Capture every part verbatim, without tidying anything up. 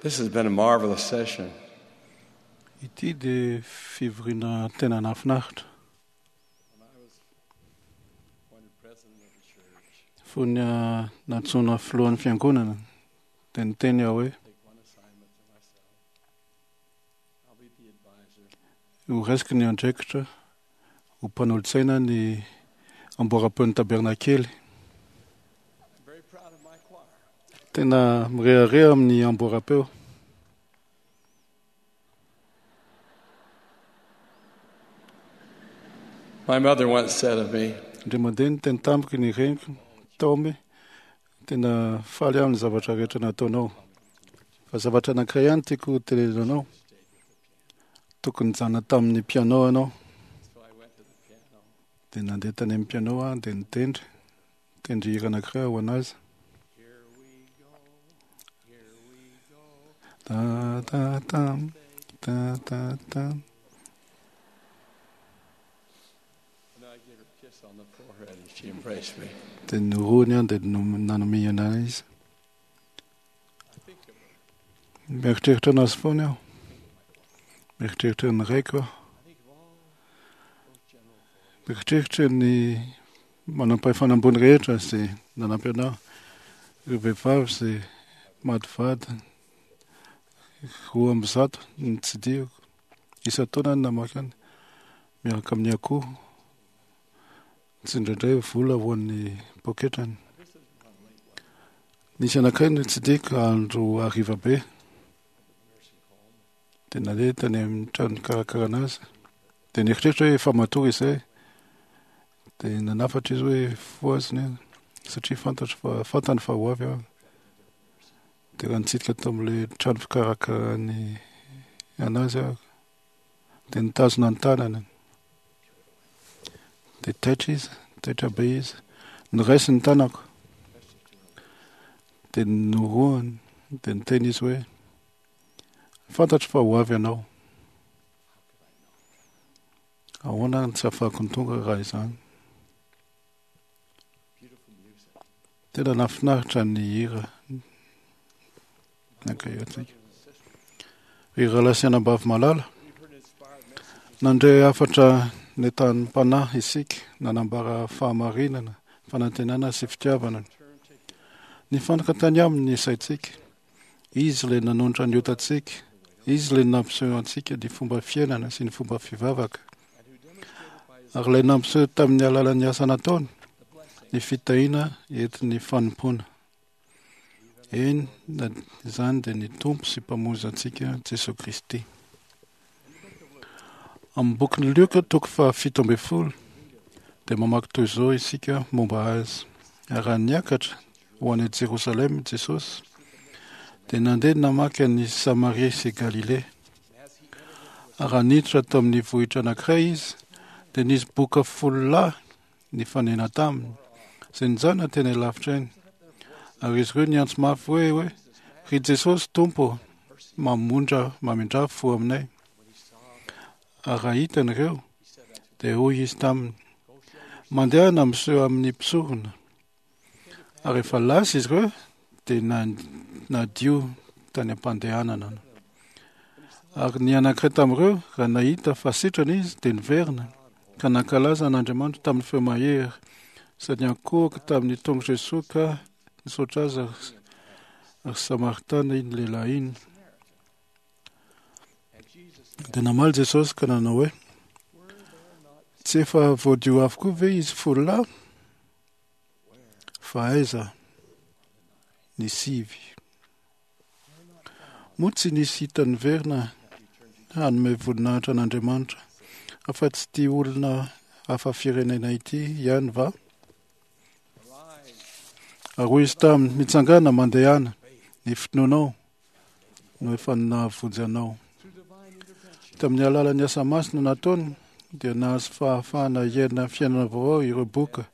This has been a marvelous session. Ity dia fivoriana tena nahafinaritra. When I was appointed president of the church, Fony ah, nantsoina filohan'ny fiangonana dia niteny aho hoe take one assignment to myself. I'll be the advisor ho raisiko ny andraikitra ho mpanolotsaina ny amboara-peon'ny tabernakely. I'm very proud of my choir. Tena mirehareha amin'ny amboara-peo. My mother once said of me, Indray mandeha niteny tamiko ny reniko, Taomy, tena faly aho ny zavatra rehetra nataonao. Fa zavatra anankiray ihany tiako tenenina anao. Tokony nijanona tamin'ny piano ianao. so I went to the piano. Dia nandeha tany amin'ny piano aho dia nitendry. Nitendry hira anankiray ho anazy. Here we go, here we go. Ta ta tam, ta ta tam. And I gave her a kiss on the forehead and she embraced me. Dia norohony aho dia nom- nanomihana ahy izy. I think of her. Mieritreritra anazy foana aho. Mieritreritra ny raiko aho. I think of all those general authorities. Mieritreritra ny manam-pahefana ambony rehetra izay nanampy anahy. Ireo vehivavy izay maty vady roa amby zato no notsidihiko. Isan-taona no namaky any miaraka amin'ny akoho. Tsy indraindray vola ho an'ny poketrany. I visited one late one night Nisy anankiray notsidihiko andro hariva be. at the nursing home. Dia nandeha tany amin'ny trano nikarakarana azy. Dia nieritreritra hoe efa matory izay. Dia nanafatra izy hoe fohazina iny satria fantatro fa fantany fa ho avy aho. Dia raha nitsidika tao amin'ilay trano fikarakarany anazy aho dia nitazona ny tanany. Dia taitra izy, taitra be izy. Noraisiny ny tanako Pressed it to her lips. dia norohany dia niteny izy hoe fantatro fa ho avy ianao. How could I not? Ahoana no tsy ahafahako ny tonga raha izany. Beautiful music. Tena nahafinaritra ny hira My nankahiantsika. brothers and sisters, Ry rahalahy sy anabavy malala, we've heard inspired messages nandre hafatra nentanin'ny mpanahy isika nanambara fahamarinana, fanantenana sy fitiavana. turn to Him. Nifantoka tany aminy ny saintsika. Izy ilay nanonitra ny otantsika. Izy ilay nampiseho antsika ny fomba fiainana sy ny fomba fivavaka. and who demonstrated by his Ary ilay nampiseho tamin'ny alalan'ny asa nataony the blessing ny fitahiana entin'ny fanompoana. even Eny, na izany dia ny Tompo sy Mpamonjy antsika Jesoa Kristy. in the book of Luke. Amin'ny bokin'ny Lioka toko fahafito ambin'ny folo dia mamaky toy izao isika momba azy. Ary raha niakatra ho any Jerosalema Jesosy dia nandeha namaky an'i Samaria sy Galilea. And as he entered into a Ary raha niditra tao amin'ny vohitra anankiray izy dia nisy boka folo lahy nifanena taminy izay nijanona teny lavitra eny. Ary izy ireo niantso mafy hoe hoe ry Jesosy Tompo mamondra mamindra fo aminay. when he saw them, Ary raha hitany ireo he said unto them, dia hoy izy taminy Go show yourselves. mandehana miseho amin'ny mpisorona. Ary efa lasa izy ireo dia nan- nadio tany am-pandehanana. When he saw Ary ny anankiray tamin'ireo raha nahita fa sitrana izy dia niverina ka nankalaza an'Andriamanitra tamin'ny feo mahery sady niankohoka tamin'ny tongotr'i Jesoa ka nisaotra azy ary- ary Samaritana iny lehilahy iny. Samaritan. And Jesus said, Dia namaly Jesosy ka nanao hoe Were there not tsy efa voadio avokoa ve izy folo lahy where fa aiza ny sivy? were not found Moa tsy nisy hita niverina that returned to hanome voninahitra an'Andriamanitra afa-tsy ity olona hafa firenena ity ihany va? arise Ary hoy izy taminy mitsangana mandehana faith ny finoanao no efa nahavonjy anao. through divine intervention Tamin'ny alalan'ny asa masina nataony dia nahazo fahafahana hiaina fiainana vaovao ireo boka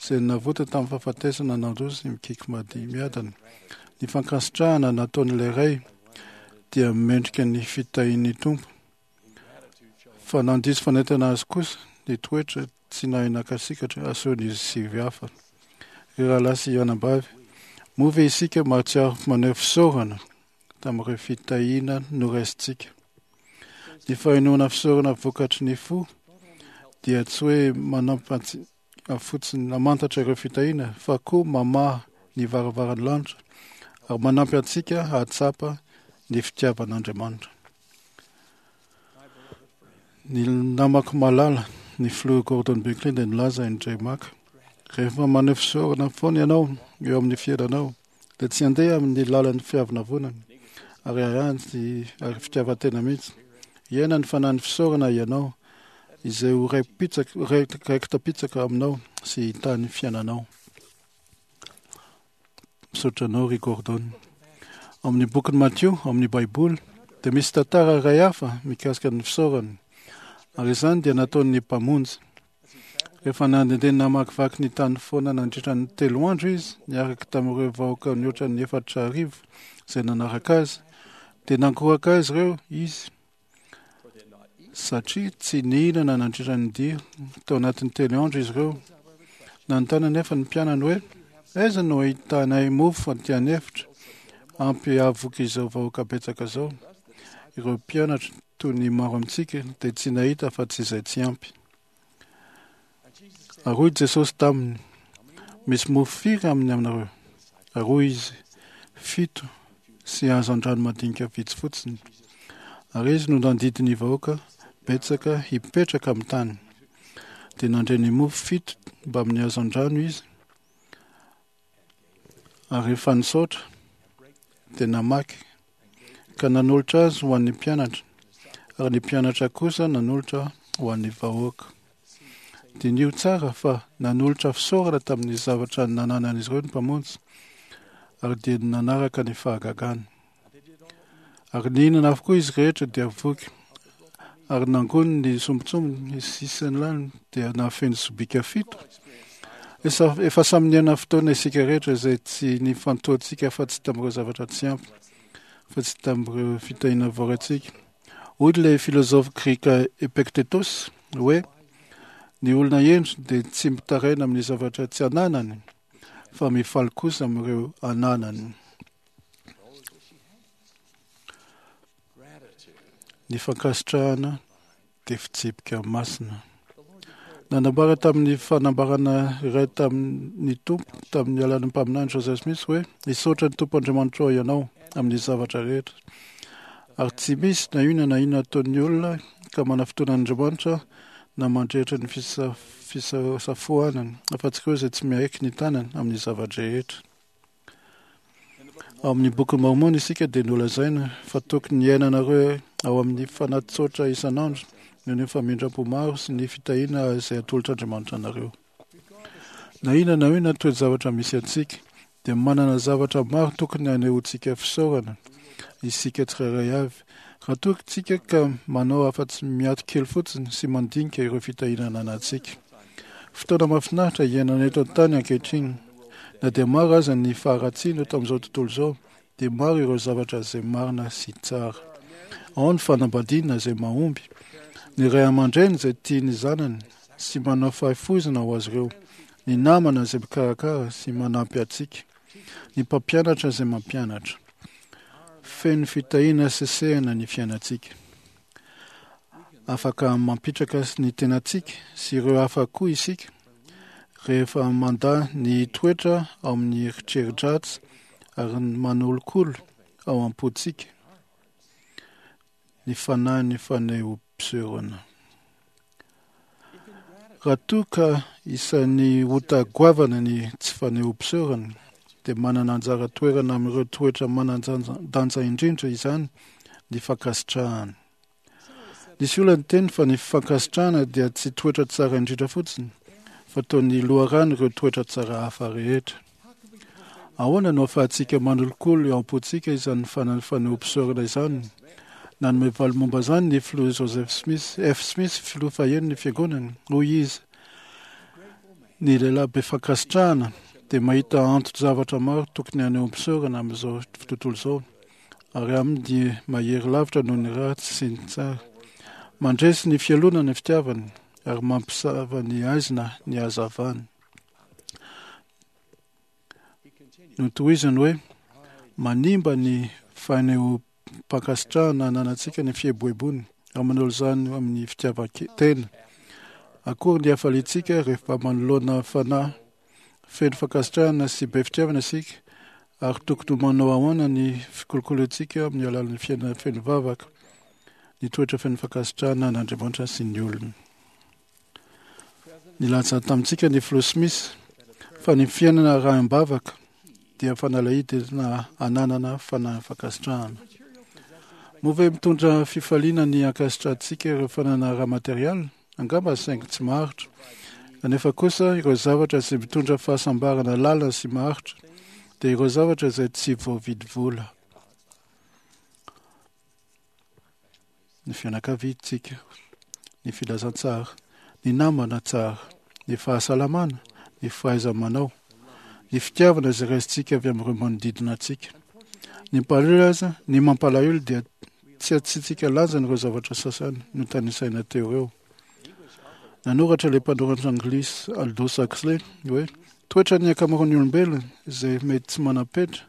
izay navota tamin'ny fahafatesana nandroso mikiky mady miadana. Ny fankasitrahana nataon'ilay ray dia mendrika ny fitahian'ny Tompo ingratitude shall fa nandiso fanentana azy kosa ny toetra tsy nahay nakasikatra asehon'izy sivy hafa. Ry rahalahy sy anabavy, moa ve isika mahatsiaro maneho fisaorana tamin'ireo fitahiana noraisintsika. Ny fahenoana fisaorana vokatry ny fo dia tsy hoe manampy antsika fotsiny namantatra ireo fitahiana fa koa mamaha ny varavaran'ny lanitra ary manampy antsika hahatsapa ny fitiavan'Andriamanitra. Ny namako malala, ny filoha Gordon Binkley dia nilaza indray maka: rehefa maneho fisaorana foana ianao eo amin'ny fiainanao dia tsy handeha amin'ny lalan'ny fiavonavonana ary ary ary fitiavan-tena mihitsy. Hiaina ny fanahin'ny fisaorana ianao izay ho raiki-pitsaka raiki-tapitsaka aminao sy hitahy ny fiainanao. Misaotra anao ry Gordon. Amin'ny bokin'i Matio, amin'ny Baiboly, dia misy tantara iray hafa mikasika ny fisaorana, ary izany dia nataon'ny Mpamonjy. Rehefa nandehandeha namakivaky ny tany foana nandritra ny telo andro izy, niaraka tamin'ireo vahoaka nihoatra ny efatra arivo izay nanaraka azy, dia nankoraka azy ireo izy satria tsy nihinana nandritra ny dia tao anatin'ny telo andro izy ireo. Nanontany anefa ny mpianany hoe: aiza no ahitanay mofo aty an'efitra ampy hahavoky izao vahoaka betsaka izao? Ireo mpianatra, toy ny maro amintsika, dia tsy nahita fa tsy izay tsy ampy. Ary hoy Jesosy taminy: misy mofo firy aminy aminareo? Ary hoy izy: fito sy hazandrano madinika vitsy fotsiny. Ary izy no nandidy ny vahoaka betsaka hipetraka amin'ny tany. Dia nandray ny mofo fito mbamin'ny hazandrano izy, ary rehefa nisaotra dia namaky ka nanolotra azy ho an'ny mpianatra, ary ny mpianatra kosa nanolotra ho an'ny vahoaka. Diniho tsara fa nanolotra fisaorana tamin'ny zavatra nananan'izy ireo ny Mpamonjy, ary dia nanaraka ny fahagagany. Ary nihinana avokoa izy rehetra dia voky, ary nangony ny sombintsombiny sisiny lany dia nahafeno sobika fito. Efa samy niaina fotoana isika rehetra izay tsy nifantohantsika fa tsy tamin'ireo zavatra tsy ampy, fa tsy tamin'ireo fitahiana voaraintsika. Hoy ilay filozofa grika Epictetus hoe: ny olona hendry dia tsy mitaraina amin'ny zavatra tsy ananany, fa mifaly kosa amin'ireo ananany. Ny fankasitrahana dia fitsipika masina. Nanambara tamin'ny fanambarana iray tamin'ny Tompo tamin'ny alalan'ny mpaminany Joseph Smith hoe: hisaotra ny Tompo Andriamanitrao ianao amin'ny zavatra rehetra. Ary tsy misy na inona na inona ataon'ny olona ka manafotoana an'Andriamanitra na mandrehitra ny fisafoanany, afa-tsy ireo izay tsy miaiky ny tanany amin'ny zava-drehetra. Ao amin'ny bokin'i Mormon isika dia nolazaina fa tokony hiainanareo ao amin'ny fanahy tsotra isan'andro noho ny famindram-po maro sy ny fitahiana izay atolotr'Andriamanitra anareo. Na inona na inona toe-javatra misy antsika, dia manana zavatra maro tokony hanehoantsika fisaorana isika tsirairay avy. Raha toa isika ka manao afa-tsy miato kely fotsiny sy mandinika ireo fitahiana ananantsika. Fotoana mahafinaritra iainana eto an-tany ankehitriny. Na dia maro aza ny faharatsiana eto amin'izao tontolo izao, dia maro ireo zavatra izay marina sy tsara. Ao ny fanambadiana izay mahomby, ny ray aman-dreny izay tia ny zanany sy manao fahafoizana ho azy ireo, ny namana izay mikarakara sy manampy antsika, ny mpampianatra izay mampianatra. Feno fitahiana sesehana ny fiainantsika. Afaka mampitraka ny tenantsika sy ireo hafa koa isika rehefa mandà ny toetra ao amin'ny eritreri-dratsy ary manolokolo ao am-pontsika ny fanahin'ny fanehoam-pisehoana. Raha toa ka isan'ny ota goavana ny tsy fanehoam-pisaorana, dia manana anjara toerana amin'ireo toetra manan-danja indrindra izany ny fankasitrahana. Nisy olona niteny fa ny fankasitrahana dia tsy toetra tsara indrindra fotsiny, fa toy ny loharano ireo toetra tsara hafa rehetra. Ahoana no ahafahantsika manolokolo eo am-pontsika izany fanehoam-pisaorana izany? Nanome valy momba izany ny filoha Joseph Smith, F. Smith, filoha faheno ny fiangonana. Hoy izy: ny lehilahy be fankasitrahana dia mahita anton-javatra maro tokony hanehoam-pisaorana amin'izao tontolo izao, ary aminy dia mahery lavitra noho ny ratsy sy ny tsara. Mandresy ny fialonana ny fitiavany, ary mampisava ny haizina ny hazavany. Notohizany hoe: manimba ny Fanehoam-pankasitrahana ananantsika ny fieboeboana ary manao izany amin'ny fitiavan-tena. Akory ny hafaliantsika rehefa manoloana fanahy feno fankasitrahana sy be fitiavana isika, ary tokony ho manao ahoana ny fikolokoloantsika amin'ny alalan'ny fiainana feno vavaka, ny toetra feno fankasitrahana an'Andriamanitra sy ny olona. Nilaza tamintsika ny Filoha Smith fa ny fiainana arahim-bavaka dia fanalahidy na ananana fanahy fankasitrahana. Moa ve mitondra fifaliana ny ankasitrahantsika ireo fananana ara-materialy? Angamba saingy tsy maharitra. Kanefa kosa ireo zavatra izay mitondra fahasambarana lalina sy maharitra dia ireo zavatra izay tsy voavidy vola. Ny fianakaviantsika, ny filazantsara, ny namana tsara, ny fahasalamana, ny fahaiza-manao, ny fitiavana izay raisintsika avy amin'ireo manodidina antsika. Ny mpalahelo aza, ny mampalahelo dia tsy asiantsika lanjany ireo zavatra sasany notanisaina teo ireo. Nanoratra ilay mpanoratra anglisy Aldous Huxley hoe toetran'ny ankamaroan'ny olombelona izay mety tsy manam-petra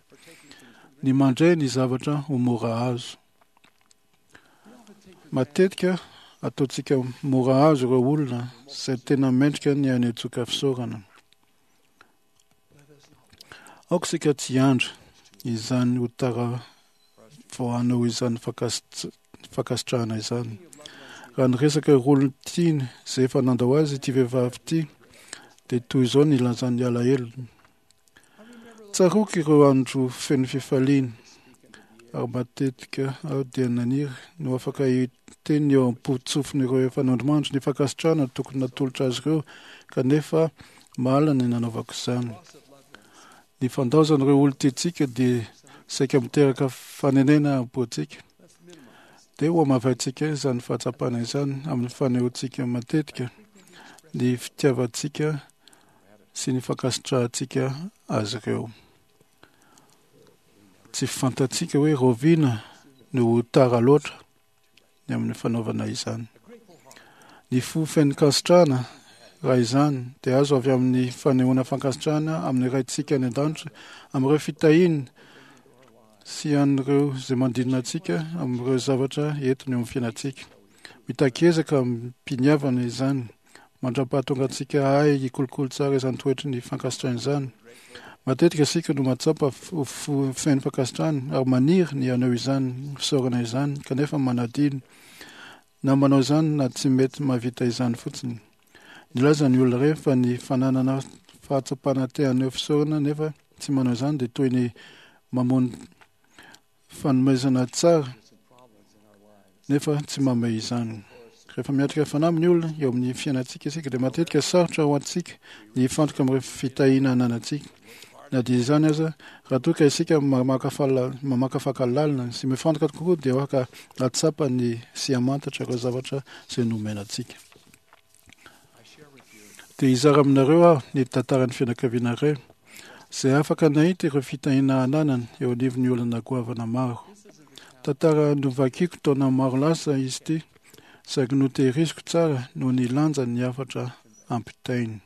ny mandray ny zavatra ho mora azo. Matetika ataontsika mora azo ireo olona izay tena mendrika ny hanehoantsika fisaorana. Aoka isika tsy hiandry izany ho tara vao hanao izany fankasitrahana izany. Raha niresaka ireo olon-tiany izay efa nandao azy ity vehivavy ity, dia toy izao ny nilazany alahelony. Tsaroako ireo andro feno fifaliana, ary matetika aho dia naniry ny ho afaka hiteny eo am-potsofin'ireo efa nandrimandry ny fankasitrahana tokony natolotra azy ireo, kanefa mahalana ny nanaovako izany. Ny fandaozan'ireo olon-tiantsika dia saika miteraka fanenena am-pontsika. Dia ho hamavaintsika izany fahatsapana izany amin'ny fanehoantsika matetika ny fitiavantsika sy ny fankasitrahantsika azy ireo. Tsy fantatsika hoe rahoviana no ho tara loatra ny amin'ny fanaovana izany. Ny fo feno fankasitrahana raha izany dia azo avy amin'ny fanehoana fankasitrahana amin'ny Raintsika any an-danitra, amin'ireo fitahiany sy an'ireo izay manodidina antsika, amin'ireo zavatra entiny eo amin'ny fiainantsika. Mitaky ezaka amim-piniavana izany mandra-pahatonga antsika hahay hikolokolo tsara izany toetry ny fankasitrahana izany. Matetika isika no mahatsapa ho feno fankasitrahana ary maniry ny haneho izany fisaorana izany, kanefa manadino na manao izany na tsy mety mahavita izany fotsiny. Nilaza ny olona iray fa ny fananana fahatsapana te haneho fisaorana nefa tsy manao izany dia toy ny mamono fanomezana tsara nefa tsy mamehy izany. Rehefa miatrika fanamby ny olona eo amin'ny fiainantsika isika dia matetika sarotra ho antsika ny hifantoka amin'ireo fitahiana ananantsika. Na dia izany aza, raha toa ka isika mamakafaka lalina sy mifantoka kokoa dia afaka hahatsapa ny sy hamantatra ireo zavatra izay nomena antsika. Dia hizara aminareo aho ny tantaran'ny fianakaviana iray izay afaka nahita ireo fitahiana ananany eo anivon'ny olana goavana maro. Tantara novakiko taona maro lasa izy ity, saingy notehiriziko tsara noho ny lanjan'ny hafatra ampitainy.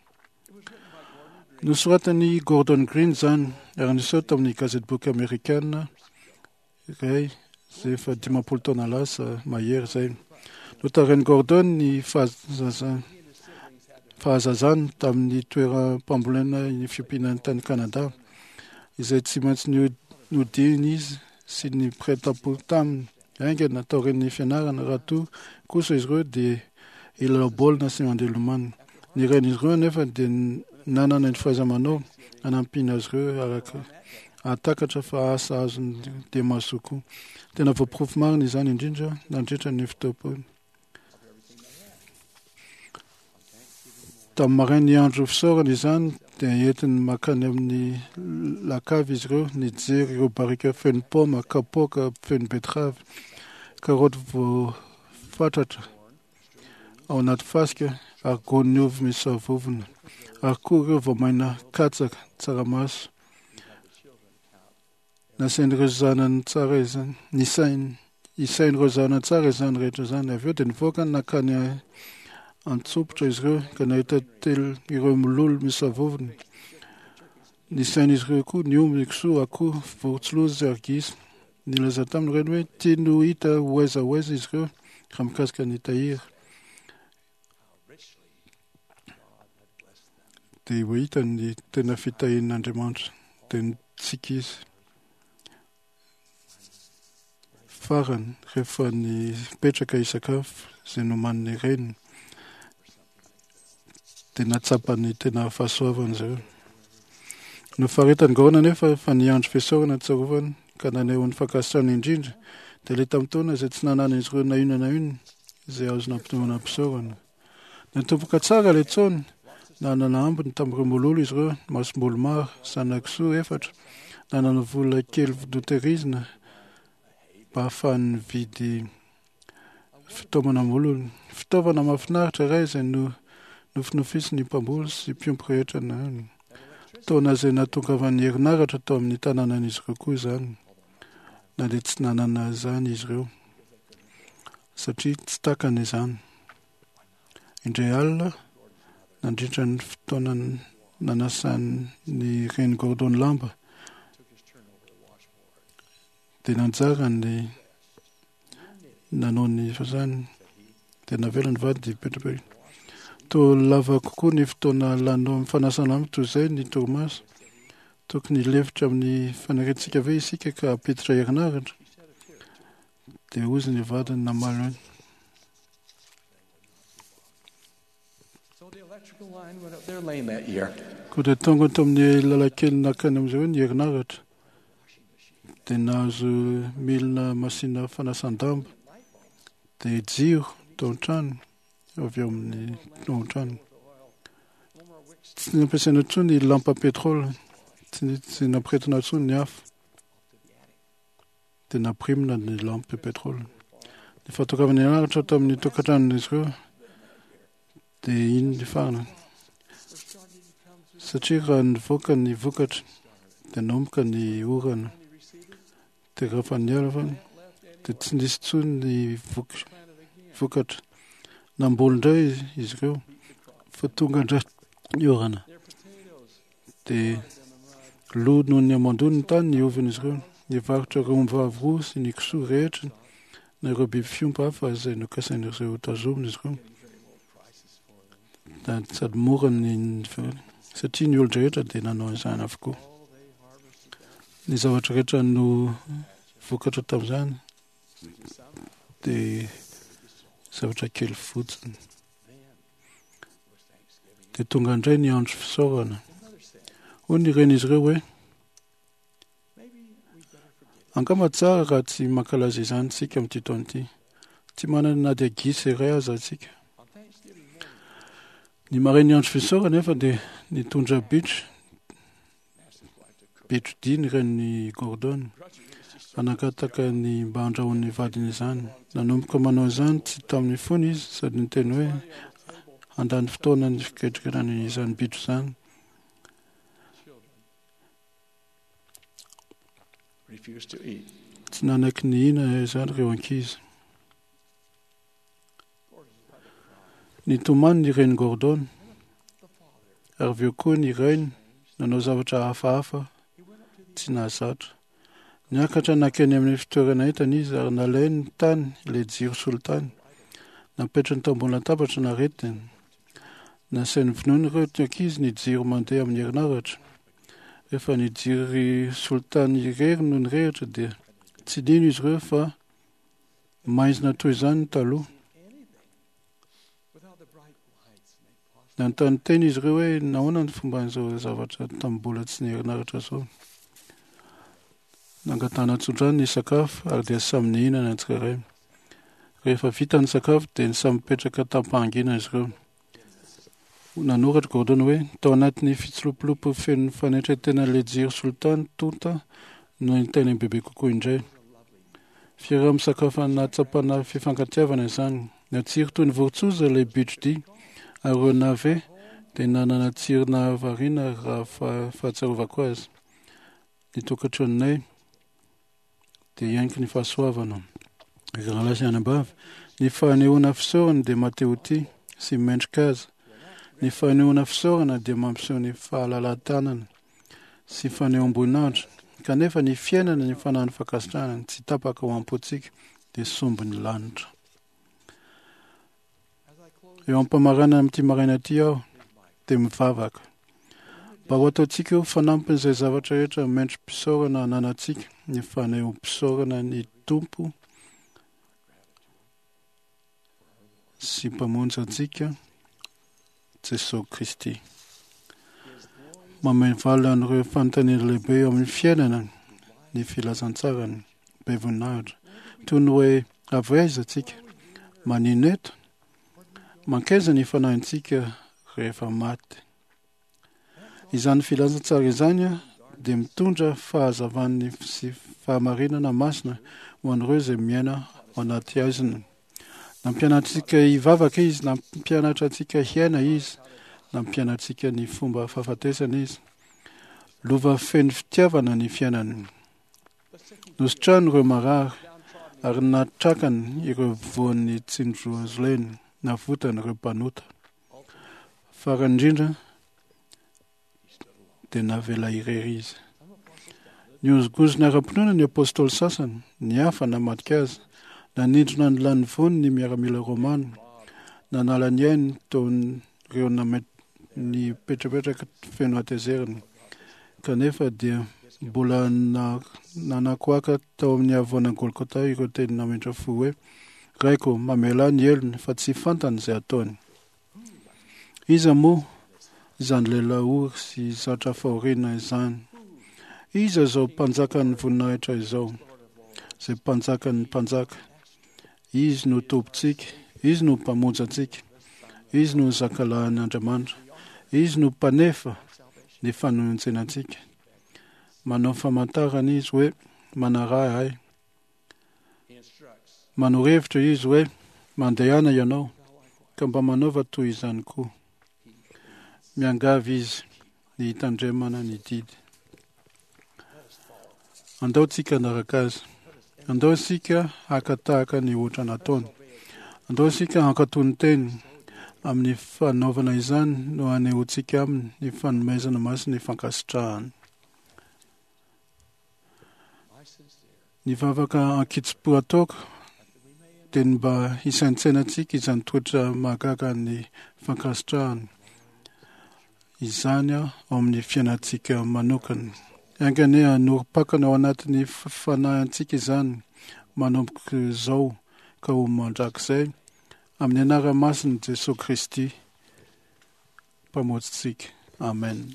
Nosoratan'i Gordon Green izany ary niseho tamin'ny gazetiboky amerikana iray izay efa dimampolo taona lasa mahery izay. Notarihin'i Gordon ny fahazazany tamin'ny toeram-pambolena ny fiompiana tany Kanada, izay tsy maintsy nodiany izy sy ny mpiray tampo taminy haingana taorian'ny fianarana, raha toa kosa izy ireo dia hilalao baolina sy mandeha lomano. Ny rain'izy ireo anefa dia nanana ny fahaiza-manao hanampiana azy ireo araka hahatakatra fa asa azony dia mahasoa koa. Tena voaporofo marina izany indrindra nandritra ny fotoam-pohy. Tamin'ny marain'ny andro fisaorana izany dia entiny mankany amin'ny lakavy izy ireo nijery ireo barika feno paoma, kapoaka feno betterave, karaoty voafatratra ao anaty fasika ary gony ovy misy savovona ary koa ireo voamaina katsaka, tsaramaso. Nasain'ireo zanany tsara izany, nisainy, isain'ireo zanany tsara izany rehetra izany. Avy eo dia nivoaka nankany an-tsompitra izy ireo ka nahita telo ireo mololo misavovona. Nisain'izy ireo koa ny omby, ny kisoa, akoho, vorontsiloza ary gisa. Nilaza taminy reny hoe tiany ho hita ho aiza ho aiza izy ireo raha mikasika ny tahiry. Dia ho hita ny tena fitahian'Andriamanitra. Dia nitsiky izy. Farany, rehefa nipetraka hisakafo izay nomanin'ny reniny, dia nahatsapa ny tena fahasoavana izy ireo. Nofaritany Gordon anefa fa ny andro fisaorana tsarovany ka naneho ny fankasitrahana indrindra dia ilay tamin'ny taona izay tsy nananan'izy ireo na inona na inona izay azo nampinoana am-pisaorana. Natomboka tsara ilay taona, nanana ambiny tamin'ireo mololo izy ireo, masomboly maro, zana-kisoa efatra, nanana vola kely notehirizina mba ahafahany nividy fitaomana mololo. Fitaovana mahafinaritra iray izay no nofinofisin'ny mpamboly sy mpiompy rehetra na taona izay nahatongavan'ny herinaratra tao amin'ny tanànan'izy ireo koa izany, na dia tsy nanana izany izy ireo satria tsy takany izany. Indray alina, nandritra ny fotoana nanasan'ny reny Gordon lamba, dia nanjara ny nanao ny fazany, dia navela ny vady hipetrapetraka. Toa lava kokoa ny fotoana lany amin'ny fanasana lamba toy izay ny torimaso. Tokony hilefitra amin'ny faniriantsika ve isika ka hampiditra herinaratra? Dia hozy ny vadiny namaly hoe, So the electrical line went up their lane that year. Koa dia tonga tao amin'ny lalan-kely nankany amin'izy ireo ny herinaratra. Dia nahazo milina masina fanasan-damba, dia jiro tao an-trano, avy ao amin'ny tao an-trano. Tsy nampiasaina intsony ny lampa pétrole, tsy tsy nampiretina intsony ny afo. Dia nampirimina ny lampe pétrole. Ny fahatongavana herinaratra tao amin'ny tokantranon'izy ireo dia iny ny farany. Satria raha nivoaka ny vokatra dia nanomboka ny orana. Dia rehefa niala fa dia tsy nisy intsony ny vok- vokatra. Namboly indray izy ireo fa tonga indray ny orana. Dia lo noho ny hamandoana ny tany ny ovin'izy ireo. Nivarotra ireo ombivavy roa sy ny kisoa rehetra na ireo biby fiompy hafa izay nokasain'izy ireo hotazomina izy ireo. Da sady mora ny ny satria ny olon-drehetra dia nanao izany avokoa. Ny zavatra rehetra no vokatra tamin'izany dia zavatra kely fotsiny. Dia tonga indray ny andro fisaorana. Hoy ny renin'izy ireo hoe, angamba tsara raha tsy mankalaza izany isika amin'ity taona ity. Tsy manana na dia gisa iray aza isika. Ny marain'ny andro fisaorana nefa dia nitondra bitro, bitro dia ny renin'i Gordon. Nangataka ny mba handrahoan'ny vadiny izany. Nanomboka manao izany tsy tamin'ny fony izy sady niteny hoe handany fotoana ny fiketrikana izany bitro izany. Refused to eat. Tsy nanaiky nihinana izany ireo ankizy. Nitomany ny reny Gordon, ary avy eo koa ny rainy nanao zavatra hafahafa tsy nahazatra. Niakatra nankeny amin'ny fitoerana entana izy ary nalainy tany ilay jiro solitany. Napetrany tao ambony latabatra naretiny. Nasainy vonoiny ireo ankizy ny jiro mandeha amin'ny herinaratra. Rehefa ny jiro solitany irery no nirehitra dia tsy nino izy ireo fa maizina toy izany ny taloha. Without the bright lights made possible. Nanontany tena izy ireo hoe nahoana ny fomban'izao zavatra tamin'ny mbola tsy niherinaratra izao. Nangatahana tsodrano ny sakafo ary dia samy nihinana ny tsirairay. Rehefa vita ny sakafo dia samy nipetraka tam-pahanginana izy ireo. Nanoratra Gordon hoe tao anatin'ny fitsilopilopy feno fanetren-tenan'ilay jiro solitany tonta no nahitana bebe kokoa indray. Fiaraha-misakafo nahatsapana fifankatiavana izany. Natsiro toy ny vorontsoza ilay bitro-dia, ary ireo nave dia nanana tsiro nahavariana raha fa- fahatsiarovako azy. Ny tokantranonay dia hianiky ny fahasoavana. Ry rahalahy sy anabavy, ny fanehoana fisaorana dia mahatehotia sy mendrika azy. Ny fanehoana fisaorana dia mampiseho ny fahalalahan-tanana sy fanehoam-boninahitra Kanefa ny fiainana ny fanahin'ny fankasitrahana tsy tapaka ao am-pontsika dia sombin'ny lanitra. Eo am-pamaranana amin'ity maraina ity aho dia mivavaka mba ho ataontsika ho fanampin'izay zavatra rehetra mendri-pisaorana ananantsika ny fanehoam-pisaorana ny Tompo sy Mpamonjy antsika Jesosy Kristy. Mameno valina an'ireo fanontaniana lehibe eo amin'ny fiainana ny filazantsarany be voninahitra, toy ny hoe avy aiza tsika, manino eto, mankaiza ny fanahintsika rehefa maty. Izany filazantsara izany dia mitondra fahazavan'ny sy fahamarinana masina ho an'ireo izay miaina ao anaty haizina. Nampianatra antsika hivavaka izy, nampianatra antsika hiaina izy, nampianatra antsika ny fomba fahafatesana izy. Lova feno fitiavana ny fiainany. Nositrany ireo marary ary natrakany ireo voan'ny tsindrozoleny, navotany ireo mpanota. Farany indrindra dia navela irery izy. Nihozongozona ara-pinoana ny apôstôly sasany, ny hafa namadika azy, nanindrona ny lanivoany ny miaramila romana, nanala ny ainy teo ireo nipetrapetraka feno hatezerana. Kanefa dia mbola nanakoaka tao amin'ny havoana Golgotha ireo teny nametra fo hoe: Raiko, mamelà ny helony fa tsy fantany izay ataony. Iza moa izany lehilahy ory sy zatra fahoriana izany? Iza izao mpanjakan'ny voninahitra izao, izay mpanjakan'ny mpanjaka? Izy no Tompontsika, Izy no Mpamonjy antsika, Izy no Zakalahin'Andriamanitra, Izy no Mpanefa ny fanonjena antsika. Manao famantarana Izy hoe manaraha ahy. Manoro hevitra Izy hoe mandehana ianao, ka mba manaova toy izany koa. Miangavy Izy ny hitandremana ny didy. Andao tsika hanaraka azy. Andao isika haka tahaka ny ohatra nataony. Andao isika hankatò ny teny. Amin'ny fanaovana izany no hanehoantsika aminy ny fanomezana masina ny fankasitrahana. Ny vavaka ankitsim-po ataoko dia ny mba hisaintsainantsika izany toetra mahagaga ny fankasitrahana izany ao amin'ny fiainantsika manokana. Enga anie hanorim-pakana ao anatin'ny fanahintsika izany manomboka izao ka ho mandrakizay, amin'ny anarana masin'i Jesosy Kristy Mpamonjintsika. Amen.